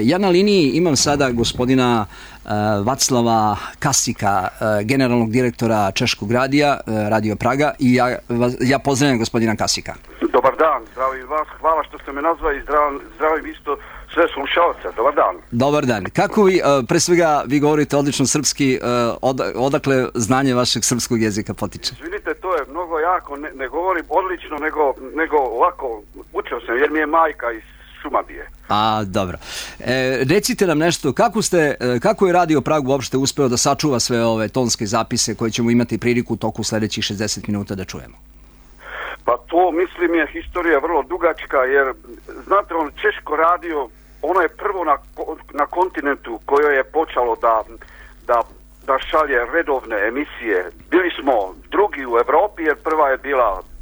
Ja na liniji imam sada gospodina Vaclava Kasika, generalnog direktora Češkog radija, Radio Praga, i ja pozdravljam gospodina Kasika. Dobar dan, zdravim vas, hvala što ste me nazvali i zdravim isto sve slušalce. Dobar dan. Dobar dan. Kako vi, pre svega, vi govorite odlično srpski, odakle znanje vašeg srpskog jezika potiče? Izvinite, to je mnogo jako, ne govorim odlično, nego ovako, učio sam jer mi je majka iz Šumadije. Dobro. Recite nam nešto, kako je Radio Prag uopšte uspeo da sačuva sve ove tonske zapise koje ćemo imati priliku u toku sledećih 60 minuta da čujemo? Pa to, mislim, je historija vrlo dugačka, jer, znate, Češko radio, ono je prvo na kontinentu koje je počelo da šalje redovne emisije. Bili smo drugi u Evropi, jer prva je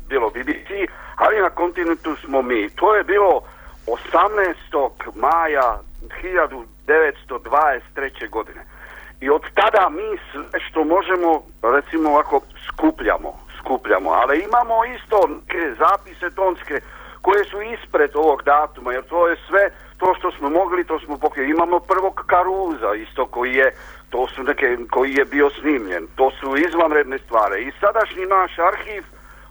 bilo BBC, ali na kontinentu smo mi. To je bilo 18. maja 1923. godine. I od tada mi sve što možemo, recimo ovako, skupljamo, ali imamo isto neke zapise tonske koje su ispred ovog datuma, jer to je sve to što smo mogli, to smo pokrili. Imamo prvog Karuza isto koji je bio snimljen. To su izvanredne stvari. I sadašnji naš arhiv,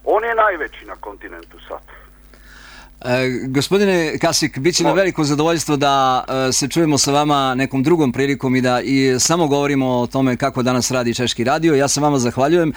on je najveći na kontinentu sad. Gospodine Kasik, bit će na veliko zadovoljstvo da se čujemo sa vama nekom drugom prilikom i da samo govorimo o tome kako danas radi Češki radio. Ja se vama zahvaljujem.